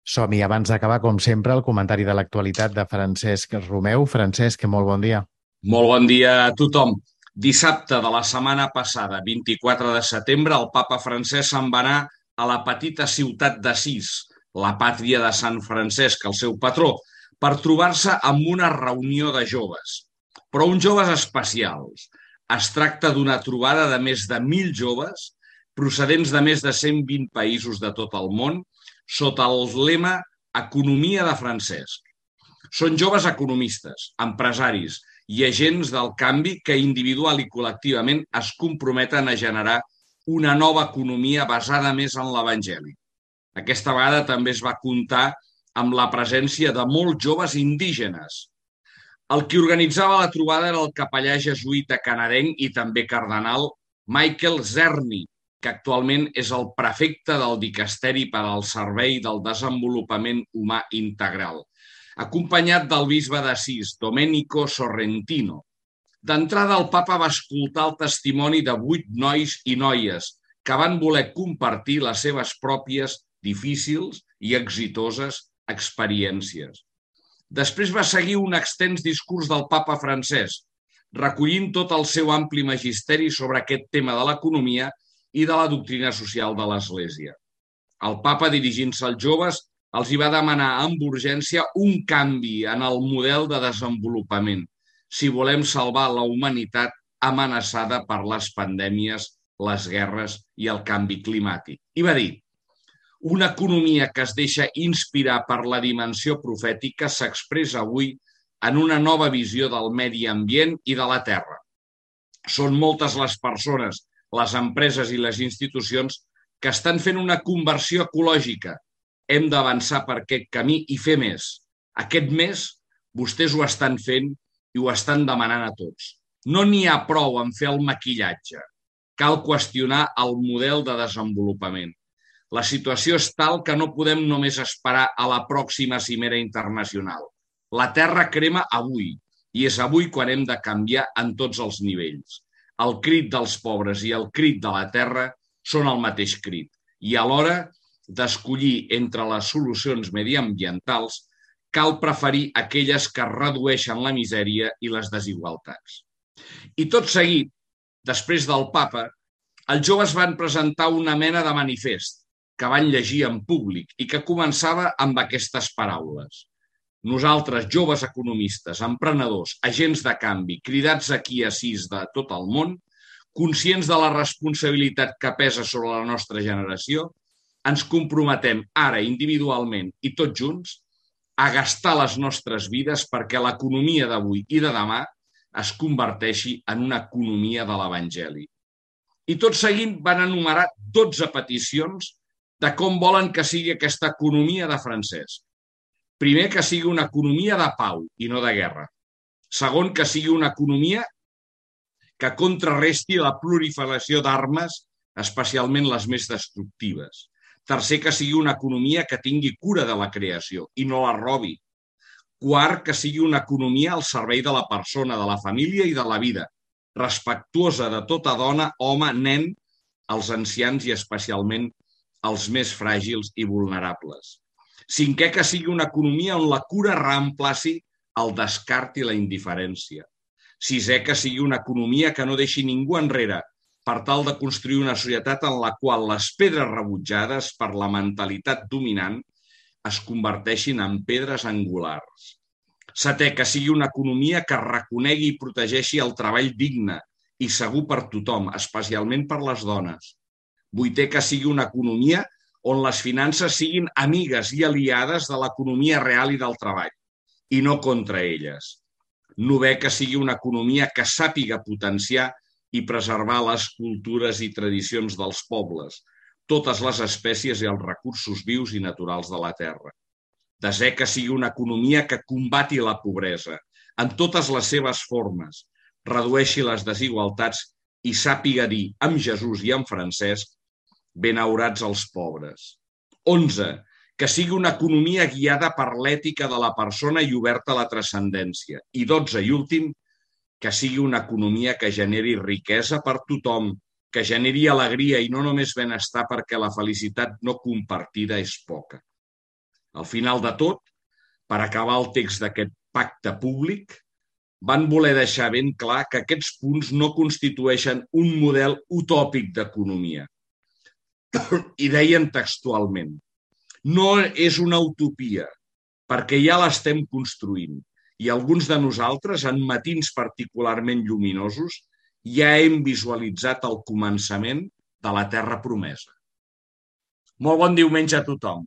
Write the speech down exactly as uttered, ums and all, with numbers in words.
Som-hi. Abans d'acabar, com sempre, el comentari de l'actualitat de Francesc Romeu. Francesc, molt bon dia. Molt bon dia a tothom. Dissabte de la setmana passada, vint-i-quatre de setembre, el papa Francesc se'n va anar a la petita ciutat d'Assís, la pàtria de Sant Francesc, el seu patró, per trobar-se amb una reunió de joves. Però uns joves especials. Es tracta d'una trobada de més de mil joves procedents de més de cent vint països de tot el món sota el lema Economia de Francesc. Són joves economistes, empresaris i agents del canvi que individual i col·lectivament es comprometen a generar una nova economia basada més en l'Evangeli. Aquesta vegada també es va comptar amb la presència de molts joves indígenes. El qui organitzava la trobada era el capellà jesuïta canadenc i també cardenal Michael Zerny, que actualment és el prefecte del Dicasteri per al Servei del Desenvolupament Humà Integral, acompanyat del bisbe d'Assís, Domenico Sorrentino. D'entrada, el papa va escoltar el testimoni de vuit nois i noies que van voler compartir les seves pròpies difícils i exitoses experiències. Després va seguir un extens discurs del papa Francesc, recollint tot el seu ampli magisteri sobre aquest tema de l'economia i de la doctrina social de l'Església. El papa, dirigint-se als joves, els hi va demanar amb urgència un canvi en el model de desenvolupament si volem salvar la humanitat amenaçada per les pandèmies, les guerres i el canvi climàtic. I va dir: una economia que es deixa inspirar per la dimensió profètica s'expressa avui en una nova visió del medi ambient i de la terra. Són moltes les persones, les empreses i les institucions que estan fent una conversió ecològica. Hem d'avançar per aquest camí i fer més. Aquest mes vostès ho estan fent i ho estan demanant a tots. No n'hi ha prou en fer el maquillatge. Cal qüestionar el model de desenvolupament. La situació és tal que no podem només esperar a la pròxima cimera internacional. La Terra crema avui i és avui quan hem de canviar en tots els nivells. El crit dels pobres i el crit de la Terra són el mateix crit i alhora d'escollir entre les solucions mediambientals, cal preferir aquelles que redueixen la misèria i les desigualtats. I tot seguit, després del papa, els joves van presentar una mena de manifest que van llegir en públic i que començava amb aquestes paraules. Nosaltres, joves economistes, emprenedors, agents de canvi, cridats aquí a Assís de tot el món, conscients de la responsabilitat que pesa sobre la nostra generació, ens comprometem ara individualment i tots junts a gastar les nostres vides perquè l'economia d'avui i de demà es converteixi en una economia de l'Evangeli. I tot seguint van enumerar dotze peticions de com volen que sigui aquesta economia de Francesc. Primer, que sigui una economia de pau i no de guerra. Segon, que sigui una economia que contrarresti la proliferació d'armes, especialment les més destructives. Tercer, que sigui una economia que tingui cura de la creació i no la robi. Quart, que sigui una economia al servei de la persona, de la família i de la vida, respectuosa de tota dona, home, nen, els ancians i especialment els més fràgils i vulnerables. Cinquè, que sigui una economia on la cura reemplaci el descart i la indiferència. Sisè, que sigui una economia que no deixi ningú enrere, per tal de construir una societat en la qual les pedres rebutjades per la mentalitat dominant es converteixin en pedres angulars. Setè, que sigui una economia que reconegui i protegeixi el treball digne i segur per tothom, especialment per les dones. Vuitè, que sigui una economia on les finances siguin amigues i aliades de l'economia real i del treball, i no contra elles. Novè, que sigui una economia que sàpiga potenciar i preservar les cultures i tradicions dels pobles, totes les espècies i els recursos vius i naturals de la terra. Desè, que sigui una economia que combati la pobresa en totes les seves formes, redueixi les desigualtats i sàpiga dir amb Jesús i amb Francesc: benaurats els pobres. Onze, que sigui una economia guiada per l'ètica de la persona i oberta a la transcendència. I dotze, i últim, que sigui una economia que generi riquesa per tothom, que generi alegria i no només benestar perquè la felicitat no compartida és poca. Al final de tot, per acabar el text d'aquest pacte públic, van voler deixar ben clar que aquests punts no constitueixen un model utòpic d'economia. I deien textualment: no és una utopia, perquè ja l'estem construint i alguns de nosaltres, en matins particularment lluminosos, ja hem visualitzat el començament de la terra promesa. Molt bon diumenge a tothom.